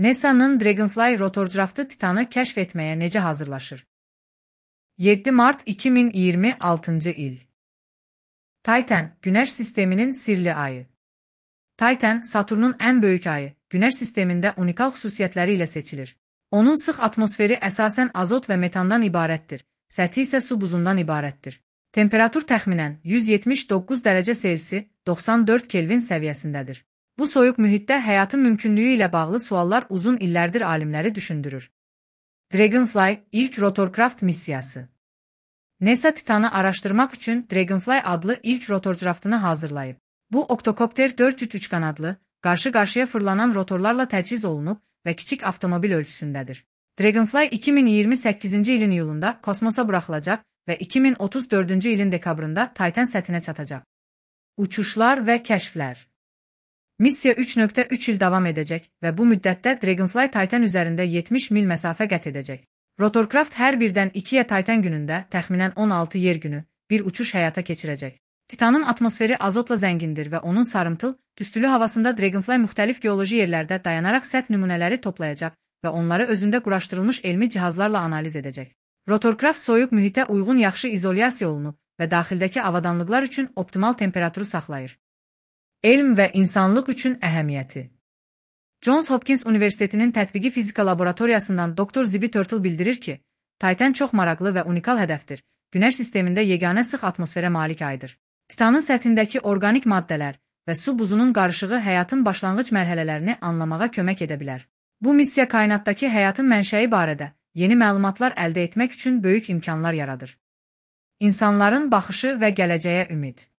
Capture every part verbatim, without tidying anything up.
NASA'nın Dragonfly rotorcraftı Titanı kəşf etməyə necə hazırlaşır? yeddi mart iki min iyirmi altıncı il. Titan, Günəş sisteminin sirli ayı. Titan, Saturnun ən böyük ayı, Günəş sistemində unikal xüsusiyyətləri ilə seçilir. Onun sıx atmosferi əsasən azot və metandan ibarətdir, səthi isə su buzundan ibarətdir. Temperatur təxminən yüz yetmiş doqquz dərəcə Selsi, doxsan dörd Kelvin səviyyəsindədir. Bu soyuq mühitdə həyatın mümkünlüyü ilə bağlı suallar uzun illərdir alimləri düşündürür. Dragonfly, ilk rotorcraft missiyası. NASA Titanı araşdırmaq üçün Dragonfly adlı ilk rotorcraftını hazırlayıb. Bu oktokopter dörd cüt üç qanadlı, qarşı-qarşıya fırlanan rotorlarla təchiz olunub və kiçik avtomobil ölçüsündədir. Dragonfly iki min iyirmi səkkizinci ilin iyulunda kosmosa buraxılacaq və iki min otuz dördüncü ilin dekabrında Titan səthinə çatacaq. Uçuşlar və kəşflər. Missiya üç nöqtə üç il davam edəcək və bu müddətdə Dragonfly Titan üzərində yetmiş mil məsafə qət edəcək. Rotorcraft hər birdən ikiyə Titan günündə təxminən on altı yer günü bir uçuş həyata keçirəcək. Titanın atmosferi azotla zəngindir və onun sarımtıl, tüstülü havasında Dragonfly müxtəlif geoloji yerlərdə dayanaraq səth nümunələri toplayacaq və onları özündə quraşdırılmış elmi cihazlarla analiz edəcək. Rotorcraft soyuq mühitə uyğun yaxşı izolyasiya olunub və daxildəki avadanlıqlar üçün optimal temperaturu saxlayır. Elm və insanlıq üçün əhəmiyyəti. Johns Hopkins Universitetinin tətbiqi fizika laboratoriyasından doktor Zibi Turtle bildirir ki, Titan çox maraqlı və unikal hədəfdir. Günəş sistemində yeganə sıx atmosferə malik aydır. Titanın səthindəki orqanik maddələr və su buzunun qarışığı həyatın başlanğıc mərhələlərini anlamağa kömək edə bilər. Bu missiya kainatdakı həyatın mənşəyi barədə yeni məlumatlar əldə etmək üçün böyük imkanlar yaradır. İnsanların baxışı və gələcəyə ümid.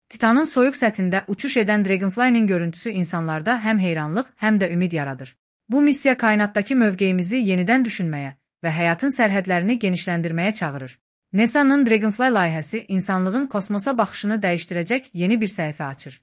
Titanın soyuq səthində uçuş edən Dragonfly-nin görüntüsü insanlarda həm heyranlıq, həm də ümid yaradır. Bu missiya kainatdakı mövqeyimizi yenidən düşünməyə və həyatın sərhədlərini genişləndirməyə çağırır. NASA'nın Dragonfly layihəsi insanlığın kosmosa baxışını dəyişdirəcək yeni bir səhifə açır.